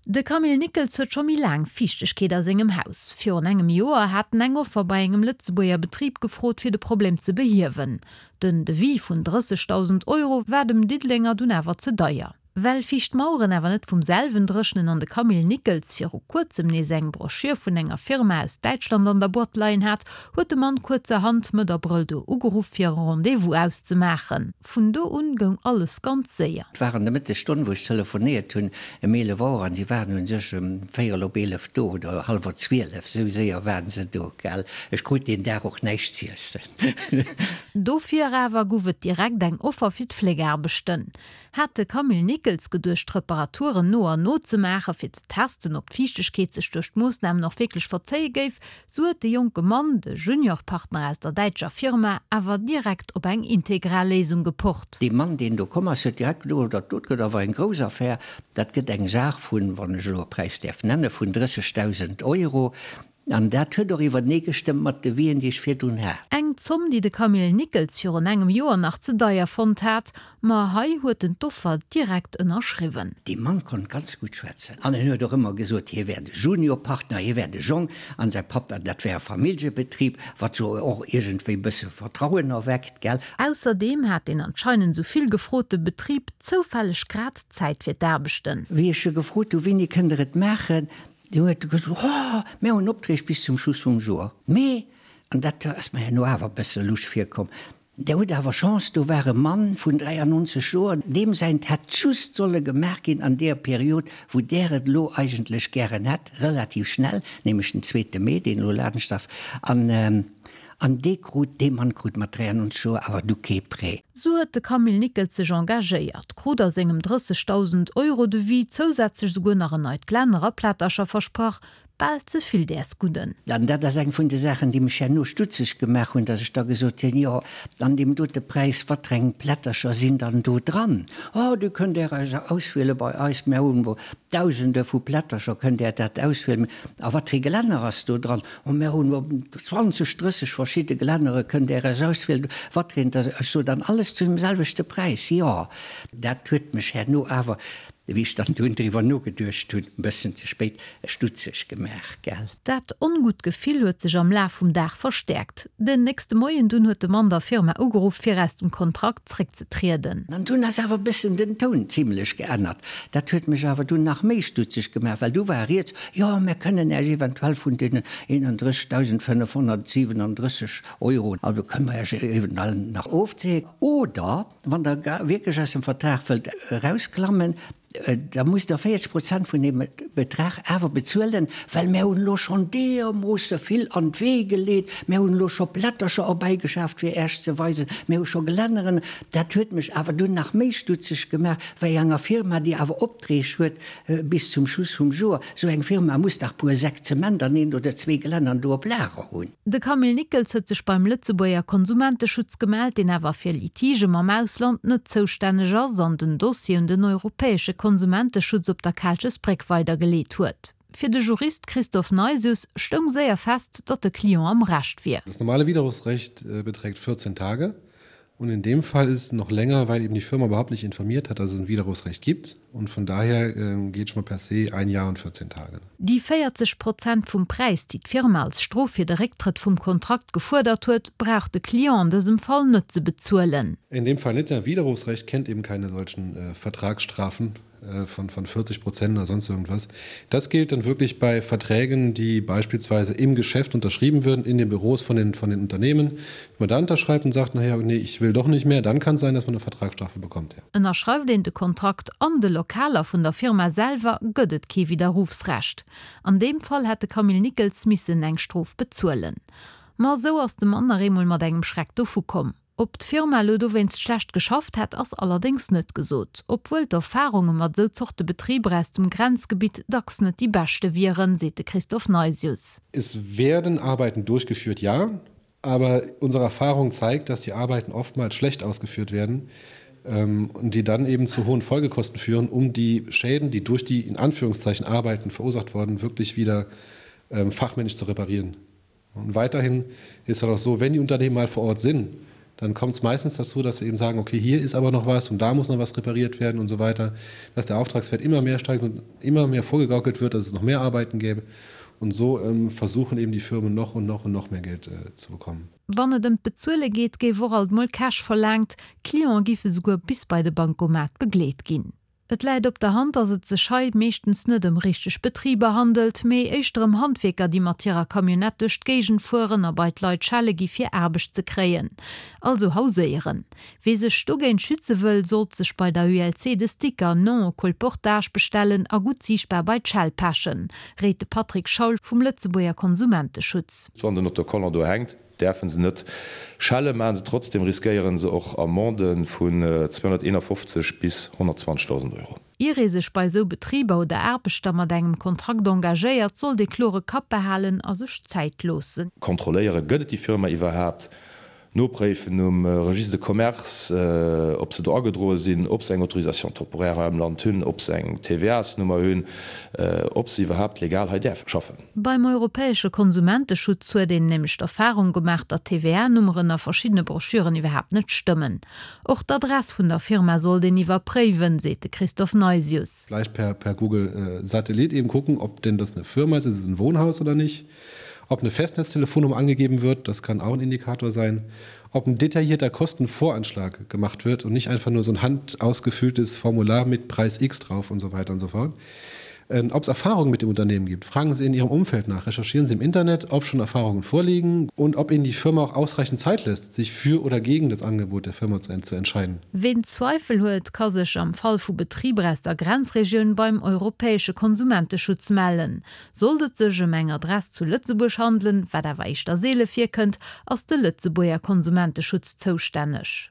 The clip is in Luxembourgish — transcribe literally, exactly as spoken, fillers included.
De Camille Nickels huet scho méi laang Fiichtegkeet a sengem Haus. Virun engem Joer hat en eng Offer bei engem Lëtzebuerger Betrib gefrot, fir de Problem ze behiewen. Den Devis vun drëssegdausend Euro war dem Diddelenger dunn awer ze deier. Well fiicht Maueren awer net vum selwen dréchnen an de Camille Nickels viru kuerzem nees eng Broschür vun enger Firma aus Däitschland an der Boîte leien hat, huet de Mann kuerzerhand Mëtt Abrëll do ugeruff fir e Rendez-vous auszemaachen. Vun do un goung alles ganz séier. Et war an der Mëttesstonn wou ech telefonéiert hunn, ëm eelef Auer, an si waren u sech ëm véierel op eelef do oder hallwer zwielef, esou séier waren se do, gell. Ech krut deen Dag och näischt z'iessen. Dofir awer gouf et direkt eng Offer fir d'Fléckaarbechten. Hat de Camille Nickels geduecht d'Reparaturen no an no ze maachen, fir ze testen, ob d'Fiichtegkeet sech duerch d'Moossnamen och wierklech verzéie géif, sou huet de jonke Mann, de Juniorpartner aus der däitscher Firma, awer direkt op eng integral Léisung gepocht. Dee Mann, deen do komm ass, huet direkt geduecht, dat dot gëtt awer eng grouss Affär, dat gëtt eng Saach vun, wann ech elo e Präis däerf nennen, vun drëssegdausend Euro. An dat huet och iwwerneegestëmmt mat de Wien, déi ech virdrun hat. Eng Zomm, déi de Camille Nickels virun engem Joer nach ze deier fonnt hat. Ma hei huet en d'Offer direkt ënnerschriwwen. Dee Mann konnt ganz gutt schwätzen. An en huet och ëmmer gesot, hie wär de Juniorpartner, hie wär de Jong an säi Papp, an dat wär e Familljebetrib, wat jo och iergendwéi bësse Vertrauen erweckt, gell. Ausserdeem hat deen anscheinend sou vill gefrote Betrib zoufälleg grad Zäit fir d'Aarbechten. Wéi ech e gefrot hu, Wéini kënnt Der et maachen? Deen huet gesot, Oh, mir hunn Opträg bis zum Schluss vum Joer. Mee, an dat ass mer herno awer e bësse lusch virkomm, Der hutt awer Chance, do war e Mann vun dräiannonzeg Joer, deem säint hätt just solle gemaach ginn an deeër Period, wou där et elo eigentlech gären hätt, relativ schnell, nämlech den zweete Mee, deen elo laanscht ass. An An dee krut, dee Mann krut mat dräiannonzeg Joer awer du kee Prêt. Sou huet de Camille Nickels sech engagéiert, krut a sengem drëssegdausend Euro Devis zousätzlech souguer nach en neit Glänner a Plättercher versprach. Bal ze vill däers Gudden. An dat ass eng vun de Saachen, déi mech herno stutzeg gemaach hunn, datt ech da gesot hunn, Jo, an deem dote Präis, watreng Plättercher sinn dann do dran? Oh, déi kënnt Där eis auswiele bei eis, mär hunn Dausende vu Plättercher, kënnt Där dat auswielen. A watree Glänner ass do dran? Oh, mär hunn zwanzeg, drësseg verschidde Gelännere, kënnt Där eis auswielen, wat fir eent. Ech sot, An alles zu deem selwechte Präis? Jo. Dat huet mech herno awer, wéi ech dann dunn driwwer nogeduecht hunn, e bëssen ze spéit, stutzeg gemaach, gell. Dat ongutt Gefill huet sech am Laf vum Dag verstäerkt. Den nächste Moien dunn huet de Mann der Firma ugeruff, fir aus dem Kontrakt zréckzetrieden. An dunn ass awer e bëssen den Toun zimlech geännert. Dat huet mech awer dunn nach méi stutzeg gemaach, well du war rieds, Jo, mär kënnen Äech eventuell vun deenen eenandrëssigdausendfënnefhonnertsiwenandrësseg Euro, also kënne mer Äech eventuell nach ofzéien. Oder wann Der wierklech aus dem Vertrag wëllt erausklammen, da musst Der véierzeg Prozent vun deem Betrag awer bezuelen, well mär hunn elo schonn deermoosse vill an d'Wee geleet, mär hunn elo scho Plättercher erbäigeschaaft, fir Äech ze weisen, mär hu scho Gelänneren. Dat huet mech awer dunn nach méi stutzeg gemaach, wéi enger Firma, déi awer Opträg huet bis zum Schluss vum Joer. Esou eng Firma muss dach puer Säck Zement an een oder zwee Gelännern do op Lager hunn. De Camille Nickels huet sech beim Lëtzebuerger Konsumenteschutz gemellt, deen awer fir Litigë mam Ausland net zoustänneg ass an den Dossier un den europäesche Konsumenteschutz op der Kaalchesbréck weidergeleet huet. Fir de Jurist Christophe Neisius stoung séier fest, datt de Client am Recht wier. Das normale Widerrufsrecht beträgt vierzehn Tage und in dem Fall ist es noch länger, weil eben die Firma überhaupt nicht informiert hat, dass es ein Widerrufsrecht gibt und von daher geht schon mal per se ein Jahr und vierzehn Tage. Déi véierzeg Prozent vum Präis, déi d'Firma als Strof fir de Récktrëtt vum Kontrakt gefuerdert huet, brauch de Client an dësem Fall net ze bezuelen. In dem Fall net, denn Widerrufsrecht kennt eben keine solchen Vertragsstrafen von von vierzig Prozent oder sonst irgendwas. Das gilt dann wirklich bei Verträgen, die beispielsweise im Geschäft unterschrieben würden, in den Büros von den von den Unternehmen. Wenn man da unterschreibt und sagt, naja, nee, ich will doch nicht mehr, dann kann es sein, dass man eine Vertragsstrafe bekommt. Ja. Ënnerschreift een de Kontrakt an de Lokaler vun der Firma selwer, gëtt et kee Widderrufsrecht. An deem Fall hätt de Camille Nickels missen eng Strof bezuelen. Ma esou ass de Mann nach eemol mat engem Schreck dovu komm. Ob d'Firma elo dowéinst schlecht geschafft hätt, ass allerdéngs net gesot. Obwuel d'Erfarunge mat esou Zorte Betriber aus dem Grenzgebitt dacks net déi beschte wieren, seet de Christophe Neisius. Es werden Arbeiten durchgeführt, ja, aber unsere Erfahrung zeigt, dass die Arbeiten oftmals schlecht ausgeführt werden und die dann eben zu hohen Folgekosten führen, um die Schäden, die durch die in Anführungszeichen Arbeiten verursacht worden, wirklich wieder fachmännisch zu reparieren. Und weiterhin ist es auch so, wenn die Unternehmen mal vor Ort sind, Dann kommt es meistens dazu, dass sie eben sagen, okay, hier ist aber noch was und da muss noch was repariert werden und so weiter, dass der Auftragswert immer mehr steigt und immer mehr vorgegaukelt wird, dass es noch mehr Arbeiten gäbe. Und so ähm, versuchen eben die Firmen noch und noch und noch mehr Geld äh, zu bekommen. Wann et ëm d'Bezuele geet, géif och alt mol Cash verlaangt, Cliente géife souguer bis bei de Bankomat begleet ginn. Et läit op der Hand, datt et sech hei meeschtens net ëm richteg Betriber handelt, mee éischter ëm Handwierker, déi mat hirer Camionnette duerch d'Géigend fueren a bei d'Leit schelle gi fir Aarbecht ze kréien. Also hauséieren. Wee sech dogéint schütze wëll, sollt sech bei der U L C de Sticker Non au colportage bestellen a gutt siichtbar bei d'Schell pechen, réit de Patrick Schaul vum Lëtzebuerger Konsumenteschutz. Wann den Autocollant do hänkt, däerfe se net schellen, maache se trotzdem, riskéiere se och Amendë vun zweehonnerteenafofzeg bis honnertzwanzegdausend Euro. Ier ee sech bei esou Betriber oder Aarbechter mat engem Kontrakt engagéiert, sollt ee klore Kapp behalen a sech Zäit loossen. Kontrolléieren, gëtt et déi Firma iwwerhaapt? Nopréifen um Registre de commerce, ob se do agedroe sinn, ob se eng Autorisation temporaire hei am Land hunn, ob se eng T V A-s-Nummer hunn, ob se iwwerhaapt legal hei däerfe schaffen. Beim europäesche Konsumenteschutz huet een nämlech d'Erfarung gemaach, datt d'T V A-Nummeren a verschiddene Broschüren iwwerhaapt net stëmmen. Och d'Adress vun der Firma sollt een iwwerpréiwen, seet de Christophe Neisius. Vielleicht per, per Google äh, Satellit eben gucken, ob denn das eine Firma ist, ist es ein Wohnhaus oder nicht. Ob eine Festnetztelefonnummer angegeben wird, das kann auch ein Indikator sein. Ob ein detaillierter Kostenvoranschlag gemacht wird und nicht einfach nur so ein handausgefülltes Formular mit Preis X drauf und so weiter und so fort. Ähm, ob es Erfahrungen mit dem Unternehmen gibt. Fragen Sie in Ihrem Umfeld nach, recherchieren Sie im Internet, ob schon Erfahrungen vorliegen und ob Ihnen die Firma auch ausreichend Zeit lässt, sich für oder gegen das Angebot der Firma zu, zu entscheiden. Ween Zweifel huet, ka sech am Fall vu Betriber aus der Grenzregioun beim europäesche Konsumenteschutz mellen. Sollt et sech ëm eng Adress zu Lëtzebuerg handelen, wat awer éischter seele virkënnt, ass de Lëtzebuerger Konsumenteschutz zoustänneg.